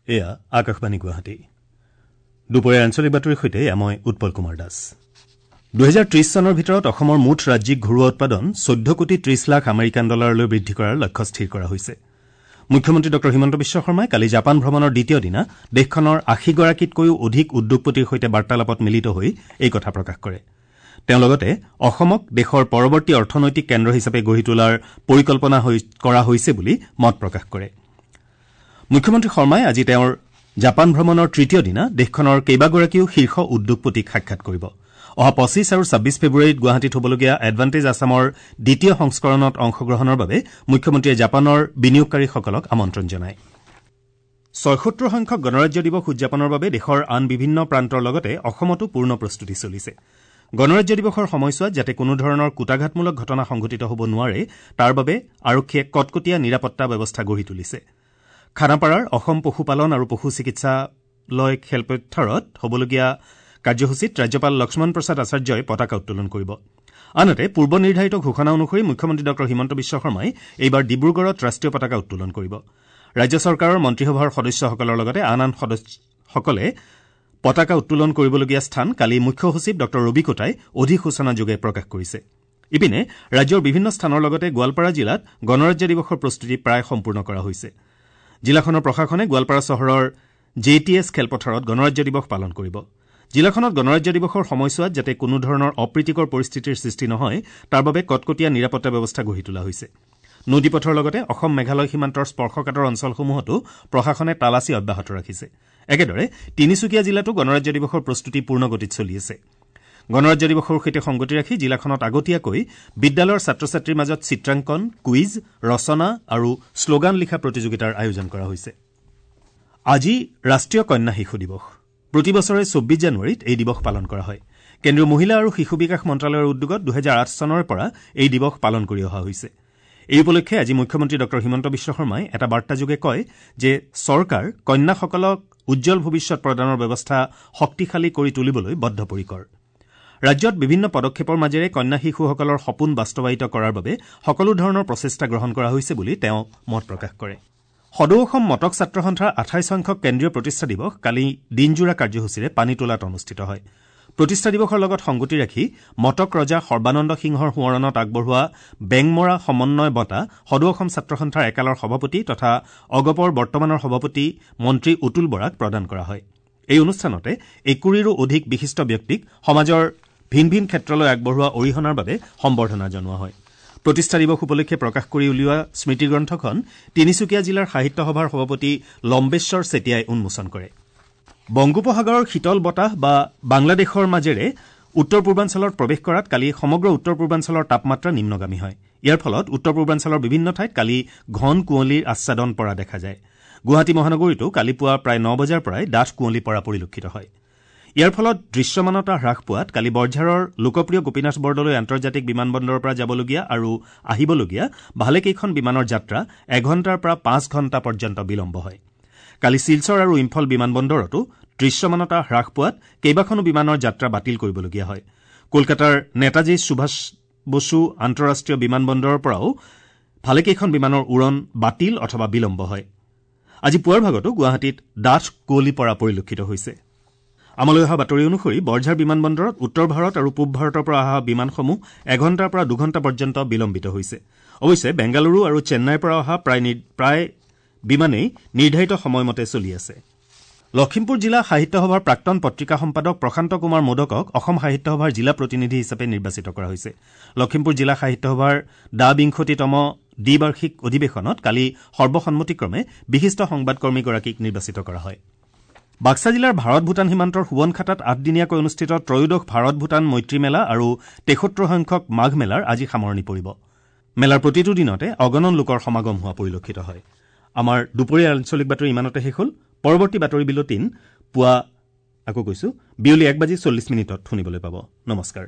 এয়া আকাশবাণী গুৱাহাটী। দুপৰীয়া আঞ্চলিক বাতৰিৰ সৈতে মই উৎপল কুমাৰ দাস। ২০৩০ চনৰ ভিতৰত অসমৰ মুঠ ৰাজ্যিক ঘৰুৱা উৎপাদন ১৪ কোটি ৩০ লাখ আমেৰিকান ডলাৰলৈ বৃদ্ধি কৰাৰ লক্ষ্য স্থিৰ কৰা হৈছে। মুখ্যমন্ত্ৰী ড হিমন্ত বিশ্ব শৰ্মাই কালি জাপান ভ্ৰমণৰ দ্বিতীয় দিনা দেশখনৰ ৮০গৰাকীতকৈও অধিক উদ্যোগপতিৰ সৈতে বাৰ্তালাপত মিলিত হৈ এই কথা প্ৰকাশ কৰে। তেওঁ লগতে অসমক দেশৰ পৰৱৰ্তী অৰ্থনৈতিক কেন্দ্ৰ হিচাপে গঢ়ি তোলাৰ পৰিকল্পনা কৰা হৈছে বুলি মত প্ৰকাশ কৰে। মুখ্যমন্ত্ৰী শৰ্মাই আজি তেওঁৰ জাপান ভ্ৰমণৰ তৃতীয় দিনা দেশখনৰ কেইবাগৰাকীও শীৰ্ষ উদ্যোগপতিক সাক্ষাৎ কৰিব। অহা ২৫ আৰু ২৬ ফেব্ৰুৱাৰীত গুৱাহাটীত হ'বলগীয়া এডভান্টেজ আছামৰ দ্বিতীয় সংস্কৰণত অংশগ্ৰহণৰ বাবে মুখ্যমন্ত্ৰীয়ে জাপানৰ বিনিয়োগকাৰীসকলক আমন্ত্ৰণ জনায়। ৭৬ সংখ্যক গণৰাজ্য দিৱস উদযাপনৰ বাবে দেশৰ আন বিভিন্ন প্ৰান্তৰ লগতে অসমতো পূৰ্ণ প্ৰস্তুতি চলিছে। গণৰাজ্য দিৱসৰ সময়ছোৱাত যাতে কোনো ধৰণৰ কূটাঘাতমূলক ঘটনা সংঘটিত হ'ব নোৱাৰে তাৰ বাবে আৰক্ষীয়ে কটকটীয়া নিৰাপত্তা ব্যৱস্থা গঢ়ি তুলিছে। খানাপাৰাৰ অসম পশুপালন আৰু পশু চিকিৎসালয় খেলপথাৰত হ'বলগীয়া কাৰ্যসূচীত ৰাজ্যপাল লক্ষ্মণ প্ৰসাদ আচাৰ্যই পতাকা উত্তোলন কৰিব। আনহাতে পূৰ্ব নিৰ্ধাৰিত ঘোষণা অনুসৰি মুখ্যমন্ত্ৰী ড হিমন্ত বিশ্ব শৰ্মাই এইবাৰ ডিব্ৰুগড়ত ৰাষ্ট্ৰীয় পতাকা উত্তোলন কৰিব। ৰাজ্য চৰকাৰৰ মন্ত্ৰীসভাৰ সদস্যসকলৰ লগতে আন আন সদস্যসকলে পতাকা উত্তোলন কৰিবলগীয়া স্থান কালি মুখ্য সচিব ড ৰবি কোটাই অধিসূচনাযোগে প্ৰকাশ কৰিছে। ইপিনে ৰাজ্যৰ বিভিন্ন স্থানৰ লগতে গোৱালপাৰা জিলাত গণৰাজ্য দিৱসৰ প্ৰস্তুতি প্ৰায় সম্পূৰ্ণ কৰা হৈছে। জিলাখনৰ প্ৰশাসনে গোৱালপাৰা চহৰৰ জে টি এছ খেলপথাৰত গণৰাজ্য দিৱস পালন কৰিব। জিলাখনত গণৰাজ্য দিৱসৰ সময়ছোৱাত যাতে কোনো ধৰণৰ অপ্ৰীতিকৰ পৰিস্থিতিৰ সৃষ্টি নহয় তাৰ বাবে কটকটীয়া নিৰাপত্তা ব্যৱস্থা গঢ়ি তোলা হৈছে। নদীপথৰ লগতে অসম মেঘালয় সীমান্তৰ স্পৰ্শকাতৰ অঞ্চলসমূহতো প্ৰশাসনে তালাচী অব্যাহত ৰাখিছে। একেদৰে তিনিচুকীয়া জিলাতো গণৰাজ্য দিৱসৰ প্ৰস্তুতি পূৰ্ণগতিত চলি আছে। গণৰাজ্য দিৱসৰ সৈতে সংগতি ৰাখি জিলাখনত আগতীয়াকৈ বিদ্যালয়ৰ ছাত্ৰ ছাত্ৰীৰ মাজত চিত্ৰাংকন, কুইজ, ৰচনা আৰু শ্লোগান লিখা প্ৰতিযোগিতাৰ আয়োজন কৰা হৈছে। আজি ৰাষ্ট্ৰীয় কন্যা শিশু দিৱস। প্ৰতি বছৰে ২৪ জানুৱাৰীত এই দিৱস পালন কৰা হয়। কেন্দ্ৰীয় মহিলা আৰু শিশু বিকাশ মন্ত্ৰালয়ৰ উদ্যোগত ২০০৮ চনৰ পৰা এই দিৱস পালন কৰি অহা হৈছে। এই উপলক্ষে আজি মুখ্যমন্ত্ৰী ড হিমন্ত বিশ্ব শৰ্মাই এটা বাৰ্তাযোগে কয় যে চৰকাৰ কন্যাসকলক উজ্জ্বল ভৱিষ্যত প্ৰদানৰ ব্যৱস্থা শক্তিশালী কৰি তুলিবলৈ বদ্ধপৰিকৰ। ৰাজ্যত বিভিন্ন পদক্ষেপৰ মাজেৰে কন্যা শিশুসকলৰ সপোন বাস্তৱায়িত কৰাৰ বাবে সকলো ধৰণৰ প্ৰচেষ্টা গ্ৰহণ কৰা হৈছে বুলি তেওঁ মত প্ৰকাশ কৰে। সদৌ অসম মটক ছাত্ৰ সন্থাৰ ২৮ সংখ্যক কেন্দ্ৰীয় প্ৰতিষ্ঠা দিৱস কালি দিনজোৰা কাৰ্যসূচীৰে পানীতোলাত অনুষ্ঠিত হয়। প্ৰতিষ্ঠা দিৱসৰ লগত সংগতি ৰাখি মটক ৰজা সৰ্বানন্দ সিংহৰ সোঁৱৰণত আগবঢ়োৱা বেংমৰা সমন্বয় বঁটা সদৌ অসম ছাত্ৰ সন্থাৰ একালৰ সভাপতি তথা অগপৰ বৰ্তমানৰ সভাপতি মন্ত্ৰী অতুল বৰাক প্ৰদান কৰা হয়। এই অনুষ্ঠানতে ২১ৰো অধিক বিশিষ্ট ব্যক্তিক সমাজৰ ভিন ভিন ক্ষেত্ৰলৈ আগবঢ়োৱা অৰিহণাৰ বাবে সম্বৰ্ধনা জনোৱা হয়। প্ৰতিষ্ঠা দিৱস উপলক্ষে প্ৰকাশ কৰি উলিওৱা স্মৃতিগ্ৰন্থখন তিনিচুকীয়া জিলাৰ সাহিত্য সভাৰ সভাপতি লম্বেশ্বৰ চেতিয়াই উন্মোচন কৰে। বংগোপসাগৰৰ শীতল বতাহ বা বাংলাদেশৰ মাজেৰে উত্তৰ পূৰ্বাঞ্চলত প্ৰৱেশ কৰাত কালি সমগ্ৰ উত্তৰ পূৰ্বাঞ্চলৰ তাপমাত্ৰা নিম্নগামী হয়। ইয়াৰ ফলত উত্তৰ পূৰ্বাঞ্চলৰ বিভিন্ন ঠাইত কালি ঘন কুঁৱলীৰ আচ্ছাদন পৰা দেখা যায়। গুৱাহাটী মহানগৰীতো কালি পুৱা প্ৰায় ৯ বজাৰ পৰাই ডাঠ কুঁৱলী পৰা পৰিলক্ষিত হয়। ইয়াৰ ফলত দৃশ্যমানতা হ্ৰাস পোৱাত কালি বৰঝাৰৰ লোকপ্ৰিয় গোপীনাথ বৰদলৈ আন্তৰ্জাতিক বিমানবন্দৰৰ পৰা যাবলগীয়া আৰু আহিবলগীয়া ভালেকেইখন বিমানৰ যাত্ৰা এঘণ্টাৰ পৰা ৫ ঘণ্টা পৰ্যন্ত বিলম্ব হয়। কালি শিলচৰ আৰু ইম্ফল বিমানবন্দৰতো দৃশ্যমানতা হ্ৰাস পোৱাত কেইবাখনো বিমানৰ যাত্ৰা বাতিল কৰিবলগীয়া হয়। কলকাতাৰ নেতাজী সুভাষ বসু আন্তঃৰাষ্ট্ৰীয় বিমানবন্দৰৰ পৰাও ভালেকেইখন বিমানৰ উৰণ বাতিল অথবা বিলম্ব হয়। আজি পুৱাৰ ভাগতো গুৱাহাটীত ডাঠ কুঁৱলী পৰা পৰিলক্ষিত হৈছে। আমালৈ অহা বাতৰি অনুসৰি বৰঝাৰ বিমানবন্দৰত উত্তৰ ভাৰত আৰু পূব ভাৰতৰ পৰা অহা বিমানসমূহ এঘণ্টাৰ পৰা দুঘণ্টা পৰ্যন্ত বিলম্বিত হৈছে। অৱশ্যে বেংগালুৰু আৰু চেন্নাইৰ পৰা অহা প্ৰায় বিমানেই নিৰ্ধাৰিত সময়মতে চলি আছে। লখিমপুৰ জিলা সাহিত্য সভাৰ প্ৰাক্তন পত্ৰিকা সম্পাদক প্ৰশান্ত কুমাৰ মোদকক অসম সাহিত্য সভাৰ জিলা প্ৰতিনিধি হিচাপে নিৰ্বাচিত কৰা হৈছে। লখিমপুৰ জিলা সাহিত্য সভাৰ দ্বাবিংশতিতম দ্বিবাৰ্ষিক অধিৱেশনত কালি সৰ্বসন্মতিক্ৰমে বিশিষ্ট সংবাদকৰ্মীগৰাকীক নিৰ্বাচিত কৰা হয়। বাক্সা জিলাৰ ভাৰত ভূটান সীমান্তৰ সুৱনখাটাত ৮দিনীয়াকৈ অনুষ্ঠিত ত্ৰয়োদশ ভাৰত ভূটান মৈত্ৰী মেলা আৰু ৭৩ সংখ্যক মাঘ মেলাৰ আজি সামৰণি পৰিব। মেলাৰ প্ৰতিটো দিনতে অগণন লোকৰ সমাগম হোৱা পৰিলক্ষিত হয়। আমাৰ দুপৰীয়া আঞ্চলিক বাতৰি ইমানতে শেষ হ'ল। পৰৱৰ্তী বাতৰি বিলটিন পুৱা আকৌ কৈছো বিয়লি ১:৪০ শুনিবলৈ পাব। নমস্কাৰ।